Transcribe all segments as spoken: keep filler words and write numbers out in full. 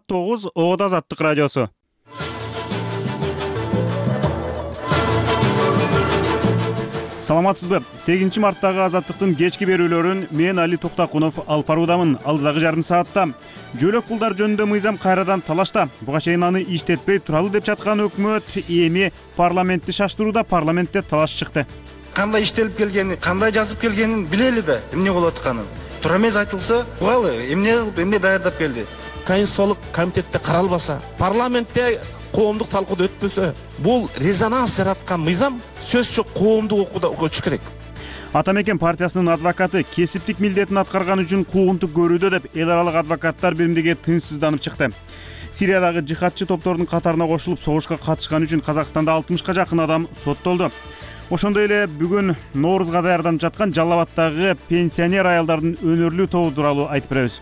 Саат тогуз Обод Азаттык радиосу. Саламатсызбы? сегизинчи марттагы Азаттыктын кечки берүүлөрүн мен Али Токтакунов алып баруудамын. Алдыдагы жарым саатта жөлөк пулдар жөнүндө мыйзам кайрадан талашта. Буга чейин аны иштетпей туралы деп жаткан өкмөт эми парламентти шаштырууда, парламентте талаш чыкты. Кандай иштелип келгени, кандай жазып келгенин билели да, эмне болуп атканын. Туура эмес айтылса, угалы, эмне кылып, эмне даярдап келди. Конституциялык комитетте каралбаса, парламентте коомдук талкууд өтпөсө, бул резонанс жараткан мыйзам сөзсүз коомдук окууда өтүш керек. Атамекен партиясынын адвокаты кесиптик милдетин аткарган үчүн куугунтук көрүүдө деп эл аралык адвокаттар биримдиги тынчсызданып чыкты. Сириядагы жихадчы топтордун катарына кошулуп согушка катышкан үчүн Казакстанда алтымышка жакын адам соттолду. Ошондой эле бүгүн Ноорузга даярданып жаткан Жалал Абаддагы пенсионер аялдардын өнөрлүү тобу тууралуу айтып беребиз.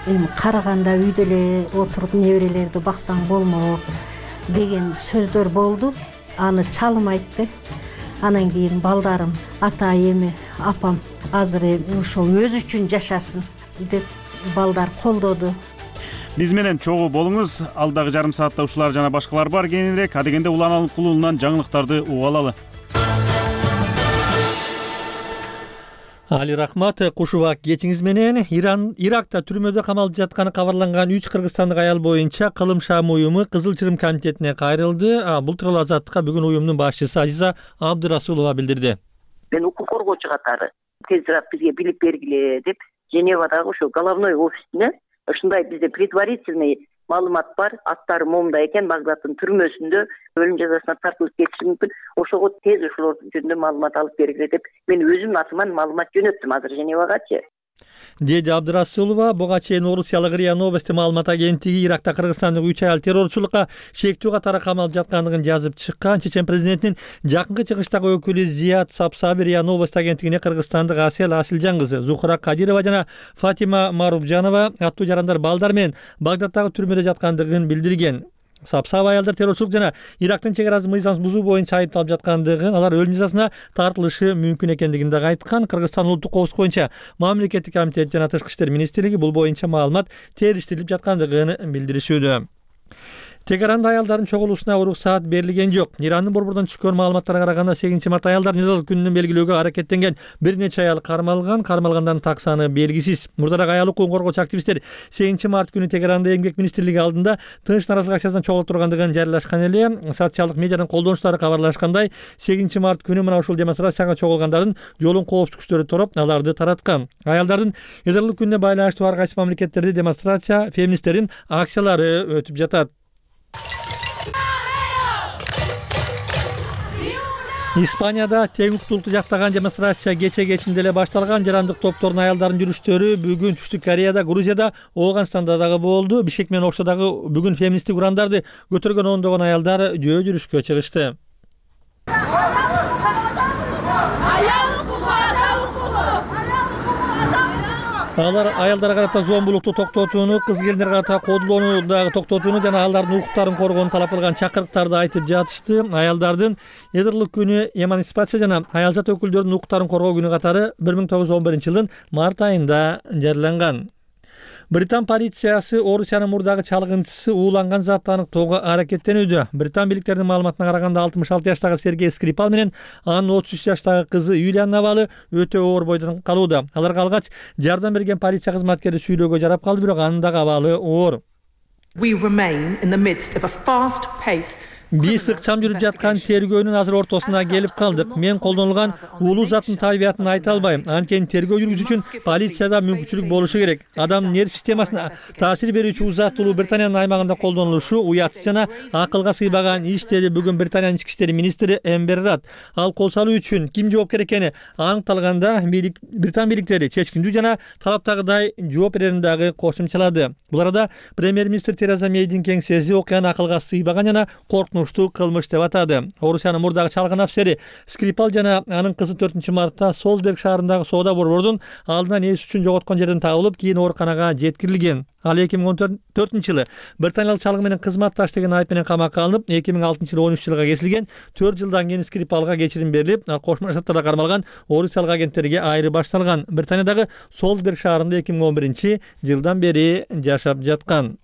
Эми караганда үйдө эле отуруп неберелерди баксаң болмок деген сөздөр болду. Аны чалым айтты. Анан кийин балдарым, ата эми, апам азыр эми ошол өзү үчүн жашасын деп балдар колдоду. Биз менен чогуу болуңуз. Алдагы жарым саатта ушулар жана башкалар бар. Кийинирээк адегенде Улан Алымкулуулунан жаңылыктарды угуп алалы. Али рахмат, кушубак кечиңиз менен. Иран Иракта түрмөдө камалып жатканы кабарланган үч кыргызстандык аял боюнча кылым шам уюму Кызыл Чырым комитетине кайрылды. Бул тууралуу Азаттыкка бүгүн уюмдун башчысы Азиза Абдурасулова билдирди. Мен укук коргоочу катары тезирээк бизге билип бергиле деп Женевадагы ошо головной офисине ушундай бизде предварительный маалымат бар, аттары момунда экен, Багдадтын түрмөсүндө өлүм жазасына тартылып кетиши мүмкүн. Ошого тез ошолор жөнүндө маалымат алып бергиле деп мен өзүмдүн атыман маалымат жөнөттүм азыр Женевагачы. Деди Абдурасулова. Буга чейин Орусиялык РИА Новости маалымат агенттиги Иракта кыргызстандык үч аял террорчулукка шектүү катары камалып жаткандыгын жазып чыккан. Чечен президентинин жакынкы чыгыштагы өкүлү Зият Сапсаби РИА Новости агенттигине кыргызстандык Асел Асилжан кызы Зухра Кадирова жана Фатима Марубжанова аттуу жарандар балдар менен Багдадтагы түрмөдө жаткандыгын билдирген. Сапсаба аялдар террорчулук жана Ирактын чек арасын мыйзамсыз бузуу боюнча айыпталып жаткандыгын, алар өлүм жазасына тартылышы мүмкүн экендигин да айткан. Кыргызстан улуттук коопсуздук боюнча мамлекеттик комитет жана Тышкы иштер министрлиги бул боюнча маалымат териштирилип жаткандыгын билдиришүүдө. Тегеранда аялдардын чогулуусуна уруксаат берилген жок. Ирандын борборунан түшкөн маалыматтарга караганда сегизинчи март аялдар незалык күнүн белгилөөгө аракеттенген бир нече аял кармалган, кармалгандардын так саны белгисиз. Мурдараак аял укугун коргоочу активисттер сегизинчи март күнү Тегеранда эмгек министрлиги алдында тынч наразылык акциясынан чогулуп тургандыгын жарыялашкан эле. Социалдык медианын колдонуучулары кабарлашкандай, сегизинчи март күнү мына ушул демонстрацияга чогулгандардын жолун коопсуздук күчтөрү тороп, аларды тараткан. Аялдардын незалык күнүнө байланыштуу ар кайсы мамлекеттерде демонстрация, феминисттердин акциялары өтүп жатат. Испанияда тең укуктуулукту жактаган демонстрация кече кечинде эле башталган. Жарандык топтордун аялдардын жүрүштөрү бүгүн Түштүк Кореяда, Грузияда, Ооганстанда дагы болду. Бишкек менен Ошто дагы бүгүн феминисттик урандарды көтөргөн ондогон аялдар жөө жүрүшкө чыгышты. Алар аялдарга карата зомбулукту токтотууну, кыз келиндерге карата кодулоону дагы токтотууну жана алардын укуктарын коргоону талап кылган чакырыктарды айтып жатышты. Аялдардын Эдирлик күнү, эмансипация жана аялзат өкүлдөрүнүн укуктарын коргоо күнү катары бир миң тогуз жүз он биринчи жылдын март айында жарыяланган. Британ полициясы Орусиянын мурдагы чалгынчысы ууланган затты аныктоого аракеттенүүдө. Британ бийликтеринин маалыматына караганда алтымыш алты жаштагы Сергей Скрипал менен анын отуз үч жаштагы кызы Юлианын абалы өтө оор бойдон калууда. Аларга алгач жардам берген полиция кызматкери сүйлөөгө жарап калды, бирок анын дагы абалы оор. We remain in the midst of a fast-paced Биз ыкчам жүрүп жаткан тергөөнүн азыр ортосуна келип калдык. Мен колдонулган улуу заттын табиятын айта албайм. Анткени тергөө жүргүзүү үчүн полицияда мүмкүнчүлүк болушу керек. Адам нерв системасына таасир берүүчү зат Улуу Британиянын аймагында колдонулушу уятсыз жана акылга сыйбаган иш, деди бүгүн Британиянын ички иштер министри Эмбер Рад. Ал кол салуу үчүн ким жоопкер экени аныкталганда Британ бийликтери чечкиндүү жана талаптагыдай жооп берерин дагы кошумчалады. Бул арада премьер-министр Тереза Мейдин кеңсеси окуяны акылга сыйбаган жана коркунучтуу кылмыш деп атады. Орусиянын мурдагы чалгын афисери Скрипал жана анын кызы төртүнчү мартта Солсберг шаарындагы соода борборунун алдынан эс үчүн жоготкон жерден табылып, кийин ооруканага жеткирилген. Ал эки миң он төртүнчү жылы британиялык чалгы менен кызматташ деген айып менен камакка алынып, эки миң алтынчы жылы он үч жылга кесилген. төрт жылдан кийин Скрипалга кечирим берилип, Кошмо Штаттарда кармалган орусиялык агенттерге айры башталган. Британиядагы Солсберг шаарында эки миң он биринчи жылдан бери жашап жаткан.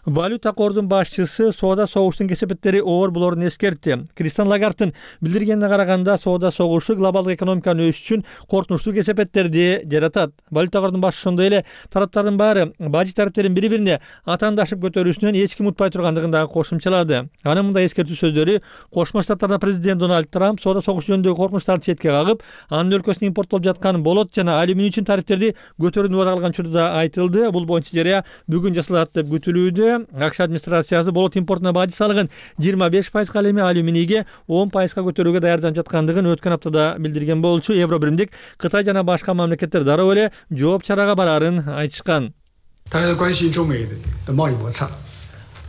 Валюта кордун башчысы соода согуштун кесепеттери оор болорун эскертти. Кристин Лагардтын билдиргенине караганда, соода согушу глобалдык экономиканын өсүшү үчүн коркунучтуу кесепеттерди жаратат. Валюта кордун башчысы ошондой эле тараптардын баары бажы тарифтерин бири-бирине атаандашып көтөрүүсүнөн эч ким утпай тургандыгын дагы кошумчалады. Анын мындай эскертүү сөздөрү Кошмо Штаттарда президент Дональд Трамп соода согуш жөнүндөгү коркунучтарды четке кагып, анын өлкөсүнө импорттолуп жаткан болот жана алюминий үчүн тарифтерди көтөрүүнү убада кылган учурда айтылды. Бул боюнча жарыя бүгүн жасалат деп күтүлүүдө. АКШ администрациясы болот импортуна бажы салыгын жыйырма беш пайызга, ал эми алюминийге он пайызга көтөрүүгө даярданып жаткандыгын өткөн аптада билдирген болчу. Евро биримдик Кытай жана башка мамлекеттер дароо эле жооп чарага барарын айтышкан.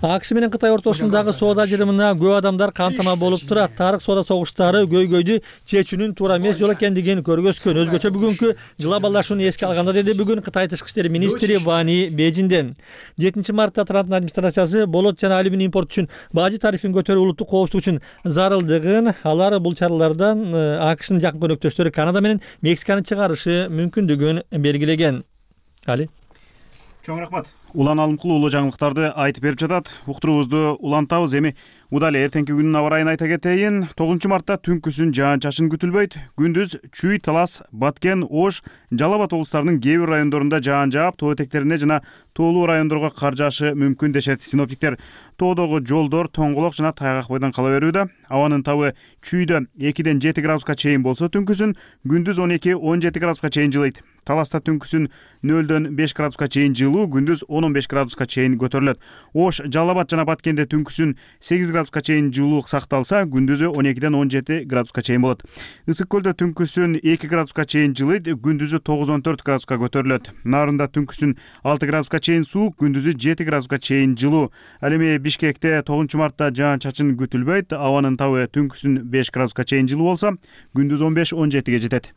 АКШ менен Кытай ортосундагы соода ажырымына көп адамдар камтама болуп турат. Тарых соода согуштары көйгөйдү чечүүнүн туура эмес жол экендигин көргөзгөн. Өзгөчө бүгүнкү глобалдашууну эске алганда, деди бүгүн Кытай тышкы иштер министри Вани Бейжинден. жетинчи мартта Трамптын администрациясы болот жана алюминий импорт үчүн бажы тарифин көтөрүү улуттук коопсуздук үчүн зарылдыгын, алар бул чаралардан АКШнын жакын көнөктөштөрү Канада менен Мексиканы чыгарышы мүмкүндүгүн белгилеген. Али Чоң рахмат. Улан алымкул улуу жаңылыктарды айтып берип жатат. Уктуруубузду улантабыз. Эми удал эртеңки күнүн аба ырайын айта кетейин. тогузунчу мартта түнкүсүн жаан-чачын күтүлбөйт. Күндүз Чүй, Талас, Баткен, Ош, Жалал Абад облустарынын кээ бир райондорунда жаан жаап, тоо этектерине жана тоолуу райондорго кар жаашы мүмкүн дешет синоптиктер. Тоодогу жолдор тоңголок жана тайгак бойдон кала берүүдө. Абанын табы Чүйдө экиден жети градуска чейин болсо, түнкүсүн күндүз он эки он жети градуска чейин жылыйт. Таласта түнкүсүн нөлдөн беш градуска чейин жылуу, күндүз он он беш градуска чейин көтөрүлөт. Ош, Жалал Абад жана Баткенде түнкүсүн сегиз градуска чейин жылуулук сакталса, күндүзү он экиден он жети градуска чейин болот. Ысык көлдө түнкүсүн эки градуска чейин жылыйт, күндүзү тогуз он төрт градуска көтөрүлөт. Нарында түнкүсүн алты градуска чейин суук, күндүзү жети градуска чейин жылуу. Ал эми Бишкекте тогузунчу мартта жаан-чачын күтүлбөйт. Абанын табы түнкүсүн беш градуска чейин жылуу болсо, күндүз он беш он жетиге жетет.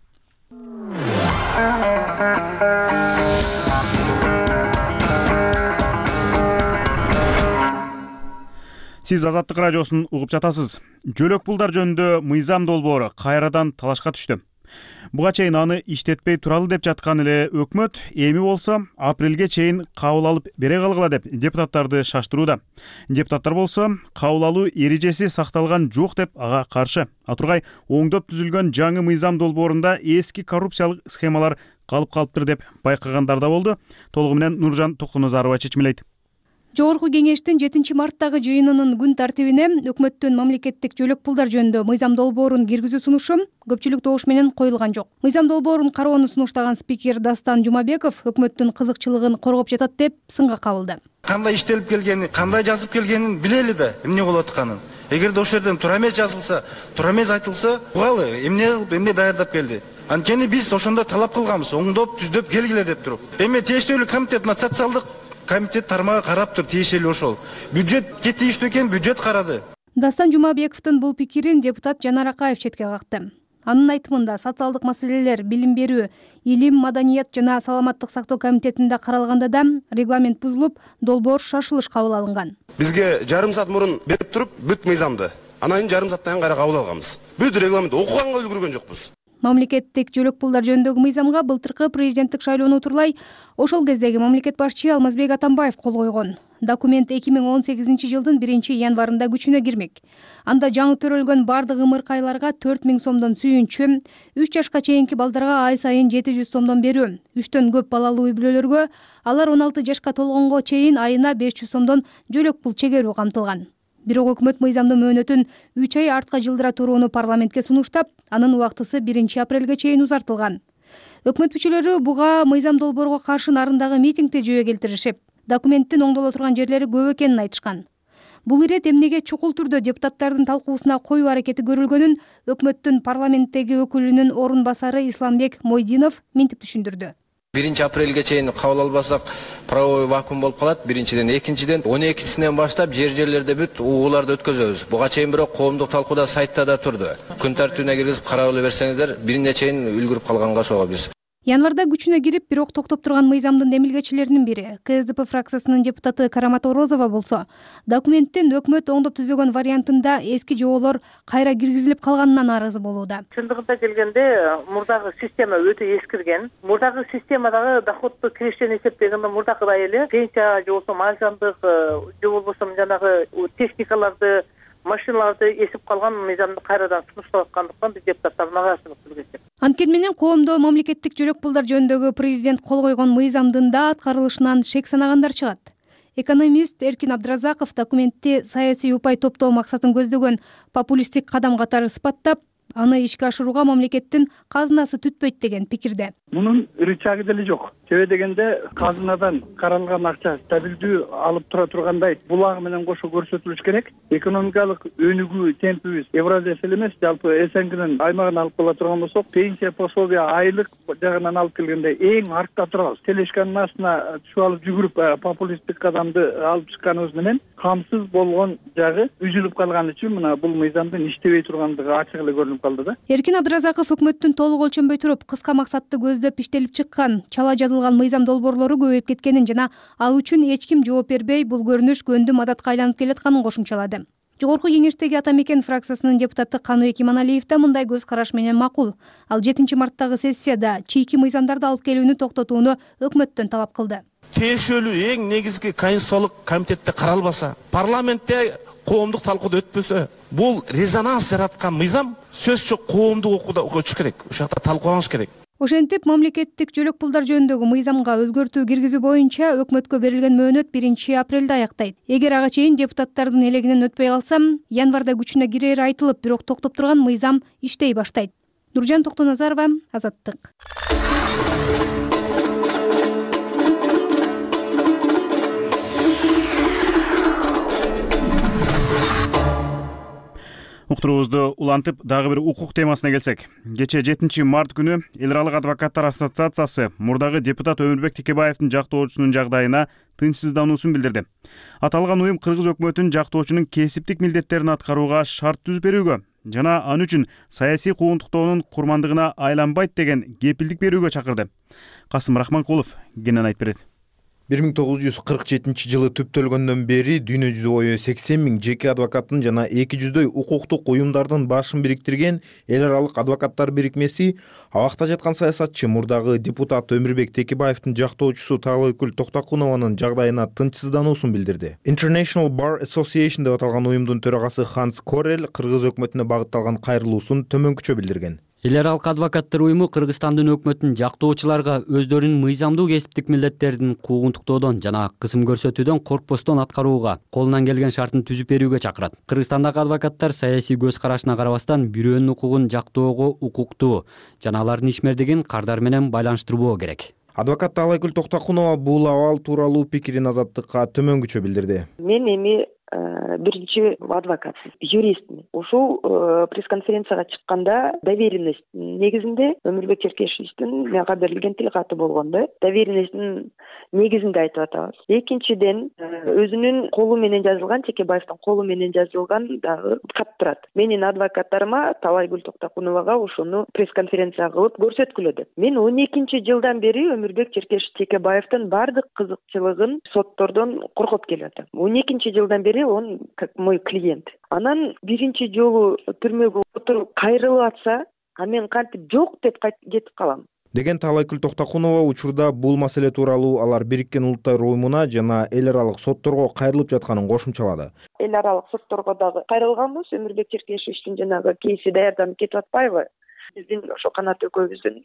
Сиз Азаттык радиосун угуп жатасыз. Жөлөк пулдар жөнүндө мыйзам долбоору кайрадан талашка түштү. Буга чейин аны иштетпей туралы деп жаткан эле өкмөт эми болсо апрелге чейин кабыл алып бере калгыла деп депутаттарды шаштырууда. Депутаттар болсо кабыл алуу эрежеси сакталган жок деп ага каршы. Атургай оңдоп түзүлгөн жаңы мыйзам долбоорунда эски коррупциялык схемалар калып калыптыр деп байкагандар да болду. Толугу менен Нуржан Токтоназарова чечмелейт. Жогорку кеңештин жетинчи марттагы жыйынынын күн тартибине өкмөттүн мамлекеттик жөлөк пулдар жөнүндө мыйзам долбоорун киргизүү сунушу көпчүлүк добуш менен коюлган жок. Мыйзам долбоорун кароону сунуштаган спикер Дастан Жумабеков өкмөттүн кызыкчылыгын коргоп жатат деп сынга кабылды. Кандай иштелип келгени, кандай жазып келгенин билели да, эмне болуп атканын. Эгерде ошол жерден туура эмес жазылса, туура эмес айтылса, угалы эмне кылып, эмне даярдап келди. Анткени биз ошондо талап кылганбыз, оңдоп, түздөп келгиле деп туруп. Эми тиештүүлүк комитет, социалдык комитет тармагы карап тур, тиешелүү ошол. Бюджетке тийиштүү экен, бюджет карады. Дастан Жумабековдун бул пикирин депутат Жанар Акаев четке какты. Анын айтымында социалдык маселелер, билим берүү, илим, маданият жана саламаттык сактоо комитетинде каралганда да регламент бузулуп, долбоор шашылыш кабыл алынган. Бизге жарым саат мурун берип туруп, бүт мыйзамды анан кийин жарым сааттан кайра кабыл алганбыз. Бүт регламент окуганга үлгүргөн жокпуз. Мамлекеттик жөлөк пулдар жөнүндөгү мыйзамга былтыркы президенттик шайлоону утурлай ошол кездеги мамлекет башчы Алмазбек Атамбаев кол койгон. Документ эки миң он сегизинчи жылдын биринчи январында күчүнө кирмек. Анда жаңы төрөлгөн бардык ымыркайларга төрт миң сомдон сүйүнчү, үч жашка чейинки балдарга ай сайын жети жүз сомдон берүү, үчтөн көп балалуу үй бүлөлөргө алар он алты жашка толгонго чейин айына беш жүз сомдон жөлөк пул чегерүү камтылган. Бирок өкмөт мыйзамдын мөөнөтүн үч ай артка жылдыра турууну парламентке сунуштап, анын убактысы биринчи апрелге чейин узартылган. Өкмөт мүчөлөрү буга мыйзам долбоорго каршы нарындагы митингде жөө келтиришип, документтин оңдоло турган жерлери көп экенин айтышкан. Бул ирет эмнеге чукул түрдө депутаттардын талкуусуна коюу аракети көрүлгөнүн өкмөттүн парламенттеги өкүлүнүн орун басары Исламбек Мойдинов минтип түшүндүрдү. биринчи апрелге чейин кабыл албасак правовой вакуум болуп калат. Биринчиден, экинчиден он экисинен баштап жер жерлерде бүт угууларды өткөзөбүз. Буга чейин бирок коомдук талкууда сайтта да турду. Күн тартибине киргизип карап эле берсеңиздер, бирине чейин үлгүрүп калганга ошого биз. Январда күчүнө кирип, бирок токтоп турган мыйзамдын демилгечилеринин бири КСДП фракциясынын депутаты Карамат Орозова болсо, документтин өкмөт оңдоп түзөгөн вариантында эски жоболор кайра киргизилип калганынан нааразы болууда. Чындыгында келгенде мурдагы система өтө эскирген. Мурдагы системадагы доходду киришени эсептегенде мурдагыдай эле пенсия же болбосо мажандык же болбосо жанагы техникаларды, машиналарды эсип калган мыйзамды кайрадан сунуштап аткандыктан биз депутаттар нааразычылык билдирдик. Анткени менен коомдо мамлекеттик жөлөк пулдар жөнүндөгү президент кол койгон мыйзамдын да аткарылышынан шек санагандар чыгат. Экономист Эркин Абдыразаков документти саясий упай топтоо максатын көздөгөн популисттик кадам катары сыпаттап, аны ишке ашырууга мамлекеттин казынасы түтпөйт деген пикирде. Мунун рычагы деле жок. Себеби дегенде казынадан каралган акча стабилдүү алып тура тургандай булагы менен кошо көрсөтүлүш керек. Экономикалык өнүгүү темпибиз Евразия эле эмес, жалпы СНГнын аймагын алып кала турган болсок, пенсия пособия айлык жагынан алып келгенде эң артта турабыз. Телешканын астына түшүп алып жүгүрүп популисттик кадамды алып чыкканыбыз менен камсыз болгон жагы үзүлүп калган үчүн мына бул мыйзамдын иштебей тургандыгы ачык эле көрүнүп калды да. Эркин Абдыразаков өкмөттүн толук өлчөнбөй туруп, кыска максатты көздөп иштелип чыккан чала жазылган мыйзам долбоорлору көбөйүп кеткенин жана ал үчүн эч ким жооп бербей, бул көрүнүш көндүм адатка айланып келатканын кошумчалады. Жогорку кеңештеги Ата Мекен фракциясынын депутаты Каныбек Иманалиев да мындай көз караш менен макул. Ал жетинчи марттагы сессияда чийки мыйзамдарды алып келүүнү токтотууну өкмөттөн талап кылды. Тиешелүү эң негизги конституциялык комитетте каралбаса, парламентте коомдук талкууд өтпөсө, бул резонанс жараткан мыйзам сөзсүз коомдук окууда өтүш керек. Ошол жакта талкууланыш керек. Ошентип, мамлекеттик жөлөк пулдар жөнүндөгү мыйзамга өзгөртүү киргизүү боюнча өкмөткө берилген мөөнөт биринчи апрелде аяктайт. Эгер ага чейин депутаттардын элегинен өтпөй калсам, январда күчүнө кирери айтылып, бирок токтоп турган мыйзам иштей баштайт. Нуржан Токтоназарова, Азаттык. Уктуруубузду улантып, дагы бир укук темасына келсек. Кечээ жетинчи март күнү Эл аралык адвокаттар ассоциациясы мурдагы депутат Өмүрбек Текебаевдин жактоочусунун жагдайына тынчсыздануусун билдирди. Аталган уюм кыргыз өкмөтүнүн жактоочунун кесиптик милдеттерин аткарууга шарт түзүп берүүгө жана ал үчүн саясий куугунтуктоонун курмандыгына айланбайт деген кепилдик берүүгө чакырды. Касым Рахманкулов кенен айтып берет. бир миң тогуз жүз кырк жетинчи жылы түптөлгөндөн бери дүйнө жүзү бою сексен миң жеке адвокаттын жана эки жүздөй укуктук уюмдардын башын бириктирген Эл аралык адвокаттар бирикмеси абакта жаткан саясатчы мурдагы депутат Өмүрбек Текебаевдин жактоочусу Таалайкүл Токтокунованын жагдайына тынчсыздануусун билдирди. International Bar Association деп аталган уюмдун төрагасы Ханс Корел кыргыз өкмөтүнө багытталган кайрылуусун төмөнкүчө билдирген. Эл аралык адвокаттар уюму Кыргызстандын өкмөтүнүн жактоочуларга өздөрүнүн мыйзамдуу кесиптик милдеттерин куугунтуктоодон жана кысым көрсөтүүдөн коркпостон аткарууга колунан келген шартын түзүп берүүгө чакырат. Кыргызстандагы адвокаттар саясий көз карашына карабастан бирөөнүн укугун жактоого укуктуу жана алардын ишмердигин кардар менен байланыштырбоо керек. Адвокат Таалайкүл Токтокунова бул абал тууралуу пикирин Азаттыкка төмөнгүчө билдирди. Мен эми биринчи адвокат, юристмин. Ушул пресс-конференцияга чыкканда доверенность негизинде Өмүрбек Черкешевичтин мага берилген тилкаты болгон да. Доверенностьтин негизинде айтып атабыз. Экинчиден, өзүнүн колу менен жазылган, Текебаевдин колу менен жазылган дагы кат турат. Менин адвокаттарыма Таалайкүл Токтокуновага ошону пресс-конференция кылып көрсөткүлө деп. Мен он экинчи жылдан бери Өмүрбек Черкешев Текебаевдин бардык кызыкчылыгын соттордон коргоп келатам. он экинчи жылдан бери он как мой клиент. Анан биринчи жолу түрмөгө отуруп кайрылып атса, а мен кантип жок деп кетип калам. Деген Таалайкүл Токтокунова учурда бул маселе тууралуу алар Бириккен Улуттар уюмуна жана эл аралык сотторго кайрылып жатканын кошумчалады. Эл аралык сотторго дагы кайрылганбыз. Өмүрбек Черкешевичтин жанагы кейси даярданып кетип атпайбы? Биздин ошо канат экөөбүздүн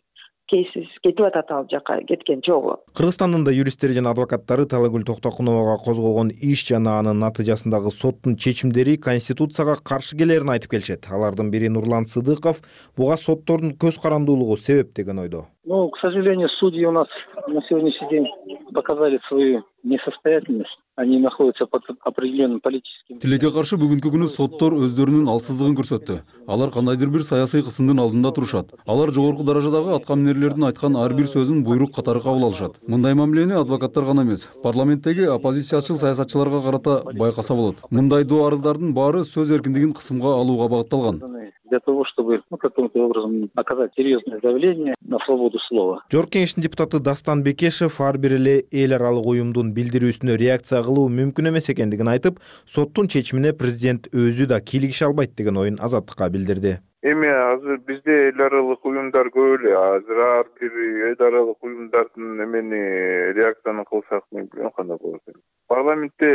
кейсиз кетип атат ал жака кеткен жолу. Кыргызстандын да юристтери жана адвокаттары Таалайкүл Токтокуновага козголгон иш жана анын натыйжасындагы соттун чечимдери конституцияга каршы келерин айтып келишет. Алардын бири Нурлан Сыдыков буга соттордун көз карандуулугу себеп деген ойдо. Ну, к сожалению, судьи у нас на сегодняшний день показали свою несостоятельность. Они находятся под определенным политическим... Тилекке каршы бүгүнкү күнү соттор өздөрүнүн алсыздыгын көрсөттү. Алар кандайдыр бир саясий кысымдын алдында турушат. Алар жогорку даражадагы аткаминерлердин айткан ар бир сөзүн буйрук катары кабыл алышат. Мындай мамилени адвокаттар гана эмес, парламенттеги оппозициячыл саясатчыларга карата байкаса болот. Мындай доо арыздардын баары сөз эркиндигин кысымга алууга багытталган. органы для того, чтобы ну, каким-то образом оказать серьезное давление на свободу слова. Жогорку Кеңештин депутаты Дастан Бекешев ар бир эле эл аралык уюмдун билдирүүсүнө реакция кылуу мүмкүн эмес экендигин айтып, соттун чечимине президент өзү да кийлигише албайт деген оюн Азаттыкка билдирди. Эми азыр бизде эл аралык уюмдар көп эле. Азыр ар бир эл аралык уюмдардын эмени реакцияны кылсак мен билбейм кандай болот. Парламентте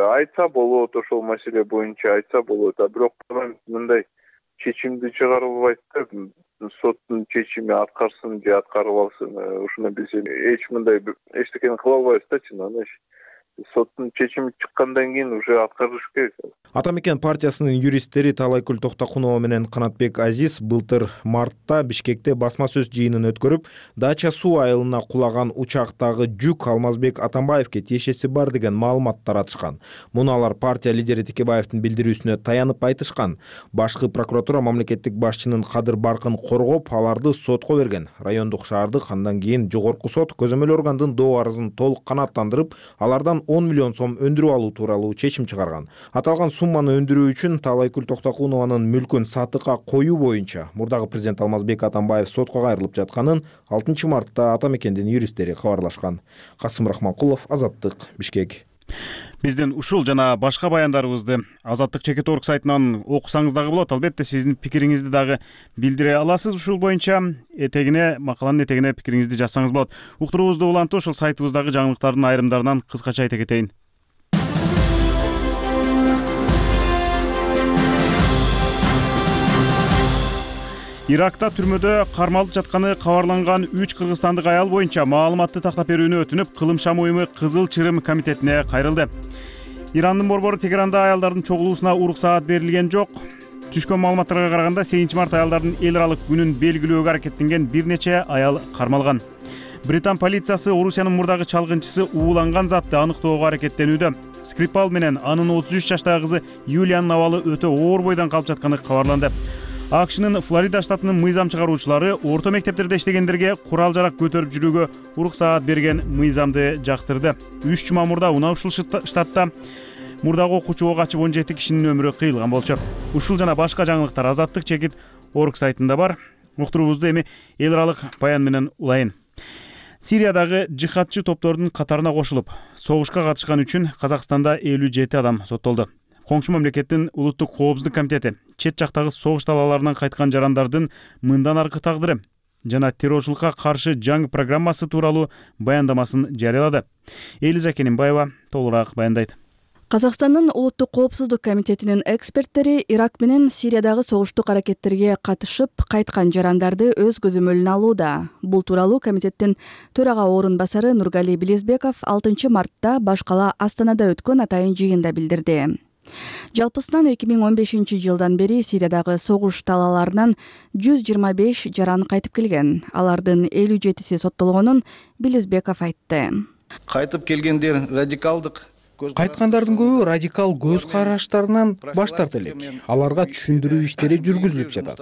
айтса болот, ошол маселе боюнча айтса болот, а бирок парламент мындай чечимди чыгарып албайт да, соттун чечими аткарсын же аткарып алсын, ушуну биз эч мындай эчтекени кыла албайбыз да, чынында. Соттун чечими чыккандан кийин уже аткарыш керек. Ата Мекен партиясынын юристтери Талайкүл Токтокунова менен Канатбек Азиз былтыр мартта Бишкекте басма сөз жыйынын өткөрүп, Дача суу айылына кулаган учактагы жүк Алмазбек Атамбаевке тиешеси бар деген маалымат таратышкан. Муну алар партия лидери Текебаевдин билдирүүсүнө таянып айтышкан. Башкы прокуратура мамлекеттик башчынын кадыр баркын коргоп, аларды сотко берген. Райондук шаардык андан кийин жогорку сот көзөмөл органдын доо арызын толук канааттандырып, алардан он миллион сом өндүрүп алуу тууралуу чечим чыгарган. Аталган сумманы өндүрүү үчүн Талайкүл Токтокунованын мүлкүн сатыкка коюу боюнча мурдагы президент Алмазбек Атамбаев сотко кайрылып жатканын алтынчы мартта Ата Мекендин юристтери кабарлашкан. Касым Рахманкулов, Азаттык, Бишкек. Биздин ушул жана башка баяндарыбызды Азаттык чекит точка орг сайтынан окусаңыз дагы болот. Албетте сиздин пикириңизди дагы билдире аласыз. Ушул боюнча этегине, макаланын этегине пикириңизди жазсаңыз болот. Уктуруубузду улантып, ошол сайтыбыздагы жаңылыктардын айрымдарынан кыскача айта кетейин. Иракта түрмөдө кармалып жатканы кабарланган үч кыргызстандык аял боюнча маалыматты тактап берүүнү өтүнүп, Кылым шам уюму Кызыл Чырым комитетине кайрылды. Ирандын борбору Тегеранда аялдардын чогулуусуна уруксаат берилген жок. Түшкөн маалыматтарга караганда сегизинчи март аялдардын эл аралык күнүн белгилөөгө аракеттенген бир нече аял кармалган. Британ полициясы Орусиянын мурдагы чалгынчысы ууланган затты аныктоого аракеттенүүдө. Скрипал менен анын отуз үч жаштагы кызы Юлиянын абалы өтө оор бойдон калып жатканы кабарланды. АКШнын Флорида штатынын мыйзам чыгаруучулары орто мектептерде иштегендерге курал жарак көтөрүп жүрүүгө уруксаат берген мыйзамды жактырды. үч жума мурда уна ушул штатта мурдагы окуучуга качып он жети кишинин өмүрү кыйылган болчу. Ушул жана башка жаңылыктар Азаттык чекит точка орг сайтында бар. Уктуруубузду эми эл аралык баян менен улайын. Сириядагы жихадчы топтордун катарына кошулуп, согушка катышкан үчүн Казакстанда элүү жети адам соттолду. Коңшу мамлекеттин улуттук коопсуздук комитети чет жактагы согуш талааларынан кайткан жарандардын мындан аркы тагдыры жана террорчулукка каршы жаңы программасы тууралуу баяндамасын жарыялады. Элиза Кененбаева толугураак баяндайт. Казакстандын улуттук коопсуздук комитетинин эксперттери Ирак менен Сириядагы согуштук аракеттерге катышып кайткан жарандарды өз көзөмөлүнө алууда. Бул тууралуу комитеттин төрага орун басары Нургали Билизбеков алтынчы мартта баш кала Астанада өткөн атайын жыйында билдирди. Жалпысынан эки миң он бешинчи жылдан бери Сириядагы согуш талааларынан жүз жыйырма беш жаран кайтып келген. Алардын элүү жетиси соттолгонун Билизбеков айтты. Кайтып келгендер радикалдык Кайткандардын көбү радикал көз караштарынан баш тарта элек. Аларга түшүндүрүү иштери жүргүзүлүп жатат.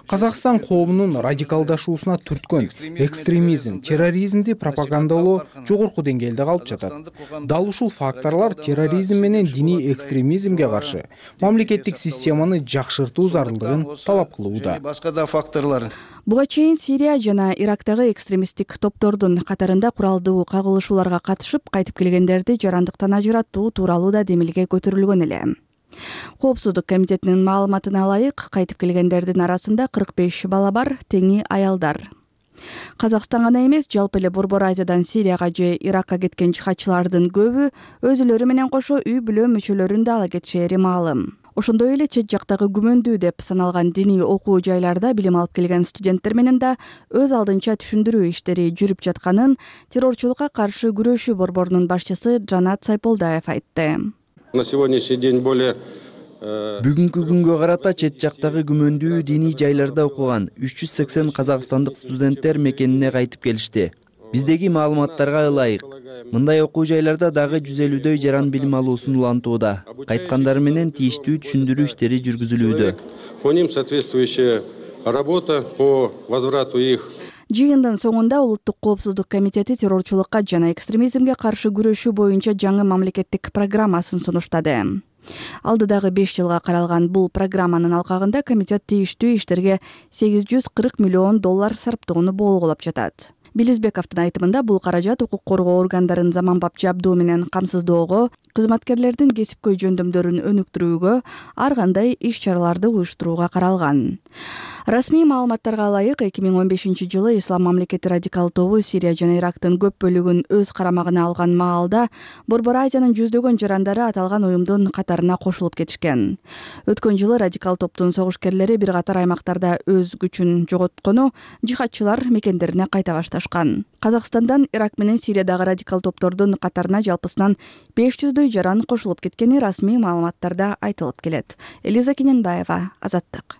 Казакстан коомунун радикалдашуусуна түрткөн экстремизм, терроризмди пропагандалоо жогорку деңгээлде калып жатат. Дал ушул факторлор терроризм менен диний экстремизмге каршы мамлекеттик системаны жакшыртуу зарылдыгын талап кылууда. Башка да факторлор. Буга чейин Сирия жана Ирактагы экстремисттик топтордун катарында куралдуу кагылышууларга катышып кайтып келгендерди жарандыктан ажыратуу тууралуу да демилге көтөрүлгөн эле. Коопсуздук комитетинин маалыматына ылайык, кайтып келгендердин арасында кырк беш бала бар, теңи аялдар. Казакстан гана эмес, жалпы эле Борбор Азиядан Сирияга же Иракка кеткен жихадчылардын көбү өзүлөрү менен кошо үй бүлө мүчөлөрүн да ала кетишери маалым. Ошондой эле чет жактагы күмөндүү деп саналган диний окуу жайларда билим алып келген студенттер менен да өз алдынча түшүндүрүү иштери жүрүп жатканын террорчулукка каршы күрөшүү борборунун башчысы Жанат Сайполдаев айтты. На сегодняшний день более Бүгүнкү күнгө карата чет жактагы күмөндүү диний жайларда окуган үч жүз сексен казакстандык студенттер мекенине кайтып келишти. Биздеги маалыматтарга ылайык, мындай окуу жайларда дагы жүз элүүдөй жаран билим алуусун улантууда. Кайткандар менен тийиштүү түшүндүрүү иштери жүргүзүлүүдө. По ним соответствующая работа по возврату их. Жыйындын соңунда улуттук коопсуздук комитети террорчулукка жана экстремизмге каршы күрөшүү боюнча жаңы мамлекеттик программасын сунуштады. Алдыдагы беш жылга каралган бул программанын алкагында комитет тийиштүү иштерге сегиз жүз кырк миллион доллар сарптоону болгулап жатат. Билизбековдун айтымында бул каражат укук коргоо органдарын заманбап жабдуу менен камсыздоого, кызматкерлердин кесипкөй жөндөмдөрүн өнүктүрүүгө, ар кандай иш-чараларды уюштурууга каралган. Расмий маалыматтарга ылайык, эки миң он бешинчи жылы Ислам мамлекети радикал тобу Сирия жана Ирактын көп бөлүгүн өз карамагына алган маалда Борбор Азиянын жүздөгөн жарандары аталган уюмдун катарына кошулуп кетишкен. Өткөн жылы радикал топтун согушкерлери бир катар аймактарда өз күчүн жоготкону, жихадчылар мекендерине кайта башташкан. Казакстандан Ирак менен Сириядагы радикал топтордун катарына жалпысынан беш жүздөй жаран кошулуп кеткени расмий маалыматтарда айтылып келет. Элиза Кененбаева, Азаттык.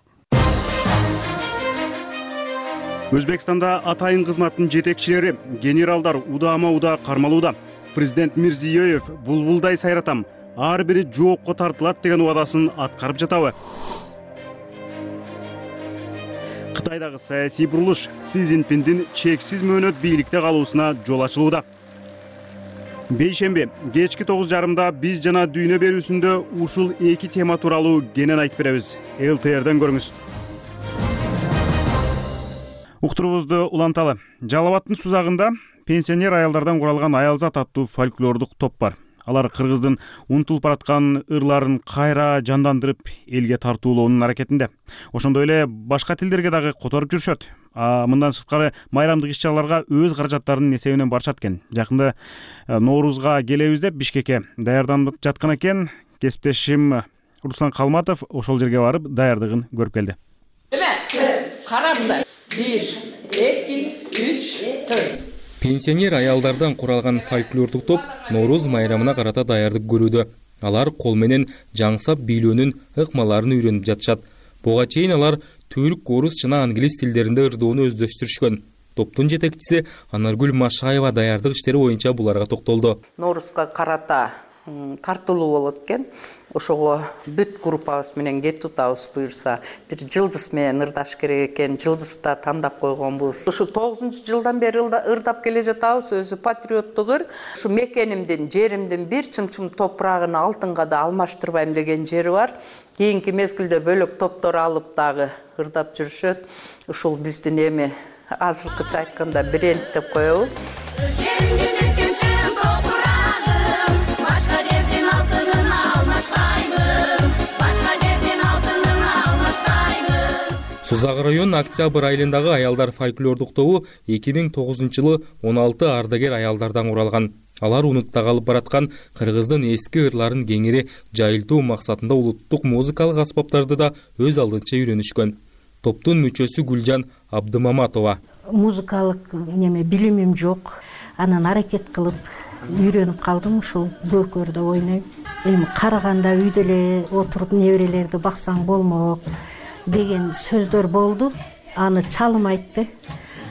Өзбекстанда атайын кызматтын жетекчилери, генералдар удаама-удаа кармалууда. Президент Мирзиёев булбулдай сайратам, ар бири жоопко тартылат деген убадасын аткарып жатабы? Кытайдагы саясий бурулуш Си Цзиньпиндин чексиз мөөнөт бийликте калуусуна жол ачылууда. Бейшемби кечки тогуз жарымда биз жана дүйнө берүүсүндө ушул эки тема тууралуу кенен айтып беребиз. эл тэ эрден көрүңүз. Уктуруубузду уланталы. Жалал Абадтын Сузагында пенсионер аялдардан куралган Аялзат аттуу фольклордук топ бар. Алар кыргыздын унутулуп бараткан ырларын кайра жандандырып, элге тартуулоонун аракетинде. Ошондой эле башка тилдерге дагы которуп жүрүшөт. А мындан сырткары майрамдык иш-чараларга өз каражаттарынын эсебинен барышат экен. Жакында Ноорузга келебиз деп Бишкекке даярданып жаткан экен. Кесиптешим Руслан Калматов ошол жерге барып даярдыгын көрүп келди. Карабында бир, эки, үч, төрт. Пенсионер аялдардан куралган фольклордук топ Норуз майрамына карата даярдык көрүүдө. Алар кол менен жаңсап бийлөөнүн ыкмаларын үйрөнүп жатышат. Буга чейин алар түрк, орус жана англис тилдеринде ырдоону өздөштүрүшкөн. Топтун жетекчиси Анаргүл Машаева даярдык иштери боюнча буларга токтолду. Норузга карата тартылуу болот экен. Ошого бүт группабыз менен кетип атабыз буюрса, бир жылдыз менен ырдаш керек экен. Жылдызда тандап койгонбуз. Ушу тогузунчу жылдан бери ырдап келе жатабыз. Өзү патриоттук ыр. Ушу мекенимдин, жеримдин бир чымчым топурагын алтынга да алмаштырбайм деген жери бар. Кийинки мезгилде бөлөк топтор алып дагы ырдап жүрүшөт. Ушул биздин эми азыркыча айтканда бренд деп коебуз. Сузак район Октябрь айылындагы аялдар фольклордук тобу эки миң тогузунчу жылы он алты ардагер аялдардан куралган. Алар унутта калып бараткан кыргыздын эски ырларын кеңири жайылтуу максатында улуттук музыкалык аспаптарды да өз алдынча үйрөнүшкөн. Топтун мүчөсү Гүлжан Абдымаматова. Музыкалык неме билимим жок. Анан аракет кылып үйрөнүп калдым, ушул көкөрдө ойнойм. Эми караганда үйдө эле отуруп неберелерди баксаң болмок деген сөздөр болду. Аны чалым айтты.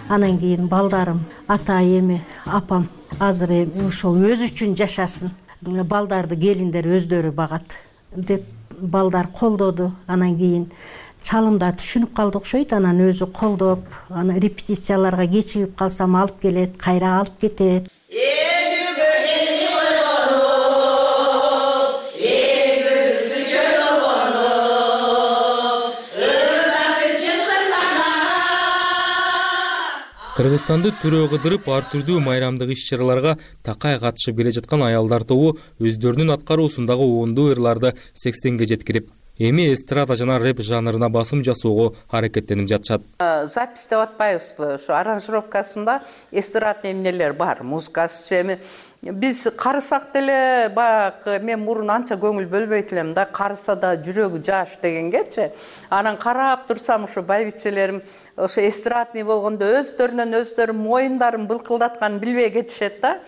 Анан кийин балдарым, ата эми, апам азыр эми ошол өзү үчүн жашасын. Балдарды келиндер өздөрү багат деп балдар колдоду. Анан кийин чалымда түшүнүп калды окшойт. Анан өзү колдоп, аны репетицияларга кечигип калсам алып келет, кайра алып кетет. Кыргызстанды төрө кыдырып ар түрдүү майрамдык иш-чараларга такай катышып келе жаткан аялдар тобу өздөрүнүн аткаруусундагы оңдуу ырларды сексенге жеткирип, эми эстрада жана рэп жанрына басым жасоого аракеттенип жатышат. Запись деп атпайбызбы? Ошо аранжировкасында эстрада эмнелер бар, музыкасы эми биз карысак деле баягы мен мурун анча көңүл бөлбөйт элем да, карыса да жүрөгү жаш дегенгечи. Анан карап турсам ошо байбичелерим ошо эстрадный болгондо өздөрүнөн өздөрү моюндарын былкылдатканын билбей кетишет да.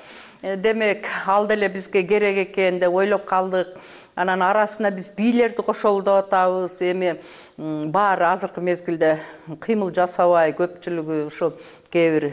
Демек, ал деле бизге керек экен деп ойлоп калдык. Анан арасына биз бийлерди кошолу деп атабыз. Эми баары азыркы мезгилде кыймыл жасабай, көпчүлүгү ушул кээ бир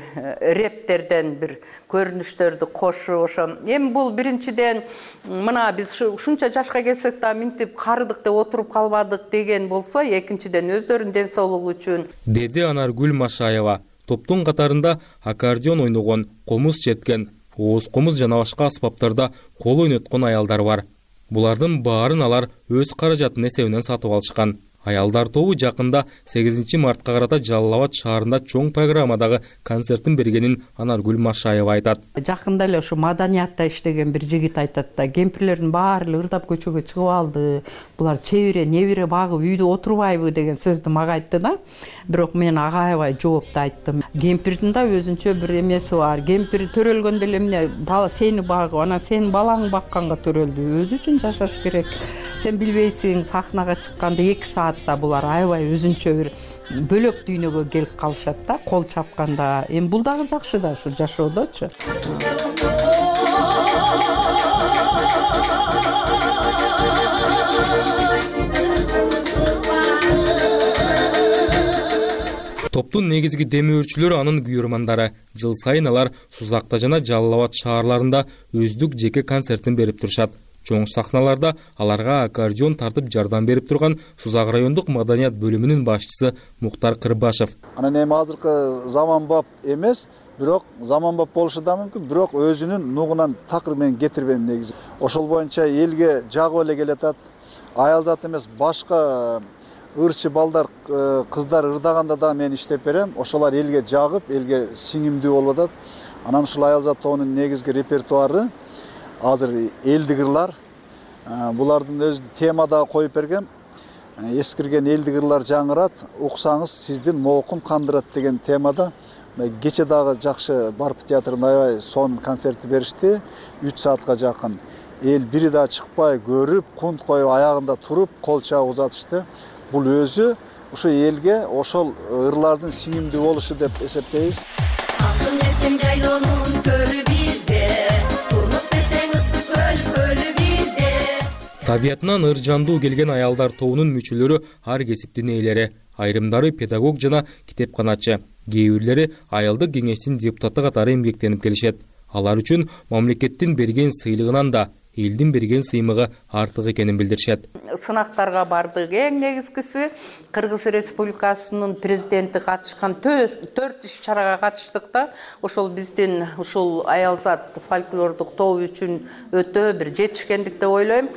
рептерден бир көрүнүштөрдү кошуп, ошо эми бул биринчиден мына биз ушунча жашка келсек да минтип карыдык деп отуруп калбадык деген болсо, экинчиден өздөрүнүн ден соолугу үчүн, деди Анаргүл Машаева. Топтун катарында аккордеон ойногон, комуз черткен, ооз комуз жана башка аспаптарда кол ойноткон аялдар бар. Булардын баарын алар өз каражатынын эсебинен сатып алышкан. Аялдар тобу жакында сегизинчи мартка карата Жалал Абад шаарында чоң программадагы концертин бергенин Анаргүл Машаева айтат. Жакында эле ушу маданиятта иштеген бир жигит айтат да, кемпирлердин баары ырдап көчөгө чыгып алды. Булар чебире, небире багып үйдө отурбайбы деген сөздү мага айтты да. Бирок мен ага аябай жоопту айттым. Кемпирдин да өзүнчө бир эмеси бар. Кемпир төрөлгөндө эле эмне бала сени багып, анан сенин балаңды бакканга төрөлдү. Өзү үчүн жашаш керек. Сен билбейсиң, сахнага чыкканда эки саатта булар аябай өзүнчө бир бөлөк дүйнөгө келип калышат да, кол чапканда. Эми бул дагы жакшы да ушу жашоодочу. Топтун негизги демөөрчүлөрү анын күйөрмандары. Жыл сайын алар Сузакта жана Жалал Абад шаарларында өздүк жеке концертин берип турушат. Чоң сахналарда аларга аккордеон тартып жардам берип турган Сузак райондук маданият бөлүмүнүн башчысы Муктар Кырбашев. Анан эми азыркы заманбап эмес, бирок заманбап болушу да мүмкүн, бирок өзүнүн нугунан такыр менен кетирбейм негизи. Ошол боюнча элге жагып эле келатат. Аял зат эмес, башка ырчы балдар, кыздар ырдаганда да мен иштеп берем. Ошолар элге жагып, элге сиңимдүү болуп атат. Анан ушул аял зат тобунун негизги репертуары азыр элдик ырлар. Булардын өз темада коюп бергем. Эскирген элдик ырлар жаңырат, уксаңыз сиздин моокум кандырат деген темада. Кече дагы жакшы Барп театрында аябай сон концертти беришти. үч саатка жакын. Эл бири да чыкпай көрүп, кунт коюп аягында туруп, кол чабып узатышты. Бул өзү ушу элге ошол ырлардын сиңимдүү болушу деп эсептейбиз. Табиятынан ыржандуу келген аялдар тобунун мүчөлөрү ар кесиптин ээлери. Айрымдары педагог жана китепканачы, кээ бирлери аялдык кеңештин депутаты катары эмгектенип келишет. Алар үчүн мамлекеттин берген сыйлыгынан да элдин берген сыймыгы артык экенин билдиришет. Сынактарга бардык. Эң негизгиси Кыргыз Республикасынын президенти катышкан төрт иш чарага катыштык да. Ошол биздин ушул аялзат фольклордук тобу үчүн өтө бир жетишкендик деп ойлойм.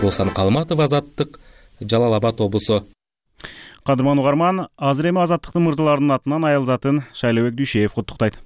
Руслан Калматов, Азаттык, Жалал Абад облусу. Кадырман угарман, азыр эми Азаттыктын мырзаларынын атынан аялзатын Шайлообек Дүйшеев куттуктайт.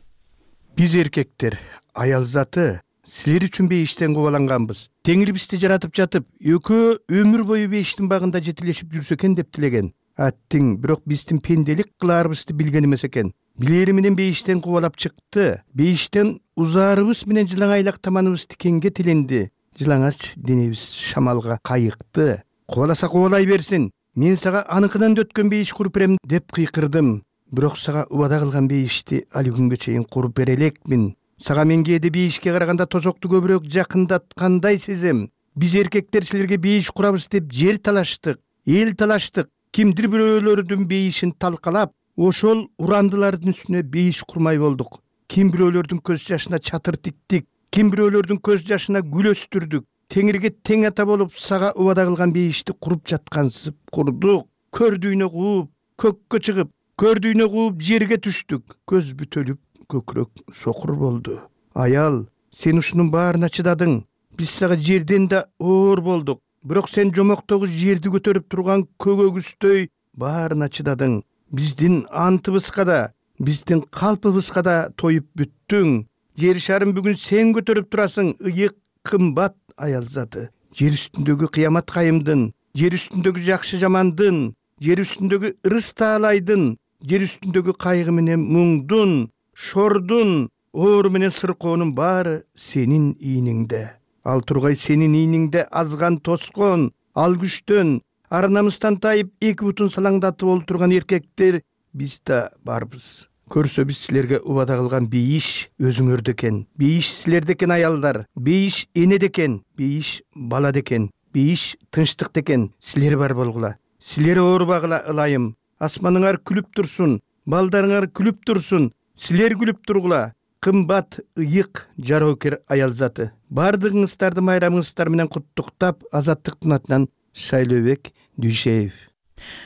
Биз эркектер, аялзаты силер үчүн бейиштен кубаланганбыз. Теңир бизди жаратып жатып, экөө өмүр бою бейиштин багында жетилешип жүрсө экен деп тилеген. Аттиң, бирок биздин пенделик кылаарыбызды билген эмес экен. Билери менен бейиштен кубалап чыкты. Бейиштен узаарыбыз менен жылаңайлак таманыбызды кеңге тиленди. Жылаңач денебиз шамалга кайыкты. Кубаласа кубалай берсин. Мен сага аныкынан өткөн бейиш куруп берем деп кыйкырдым. Бирок сага убада кылган бейишти али күнгө чейин куруп бере элекмин. Сага мен кээде бейишке караганда тозокту көбүрөөк жакындаткандай сезем. Биз эркектер силерге бейиш курабыз деп жер талаштык, эл талаштык. Кимдир бирөөлөрдүн бейишин талкалап, ошол урандылардын үстүнө бейиш курмай болдук. Ким бирөөлөрдүн көз жашына чатыр тиктик, ким бирөөлөрдүн көз жашына гүл өстүрдүк. Теңирге тең ата болуп сага убада кылган бейишти куруп жаткансып курдук. Көрдүйнө кууп, көккө чыгып, көрдүйнө кууп жерге түштүк. Көз бүтөлүп, көкүрөк сокур болду. Аял, сен ушунун баарына чыдадың. Биз сага жерден да оор болдук. Бирок сен жомоктогу жерди көтөрүп турган көгөгүздөй баарына чыдадың. Биздин антыбызга да, биздин калпыбызга да тоюп бүттүң. Жер шарын бүгүн сен көтөрүп турасың, ыйык кымбат аялзаты. Жер үстүндөгү кыямат кайымдын, жер үстүндөгү жакшы жамандын, жер үстүндөгү ырыс таалайдын, жер үстүндөгү кайгы менен муңдун, шордун, оору менен сыркоонун баары сенин ийниңде. Ал тургай сенин ийниңде азган тоскон, ал күчтөн, ар намыстан тайып эки бутун салаңдатып олтурган эркектер биз да барбыз. Көрсө биз силерге убада кылган бейиш өзүңөрдө экен. Бейиш силерде экен аялдар. Бейиш энеде экен. Бейиш балада экен. Бейиш тынчтыкта экен. Силер бар болгула. Силер оорубагыла ылайым. Асманыңар күлүп турсун. Балдарыңар күлүп турсун. Силер күлүп тургула. кымбат, ыйык, жароокер аял заты, баардыгыңыздарды майрамыңыздар менен куттуктап, Азаттыктын атынан Шайлообек Дүйшеев.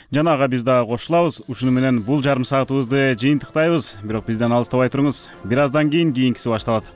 Жана ага биз дагы кошулабыз. Ушуну менен бул жарым саатыбызды жыйынтыктайбыз. Бирок бизден алыстабай туруңуз. Бир аздан кийин кийинкиси башталат.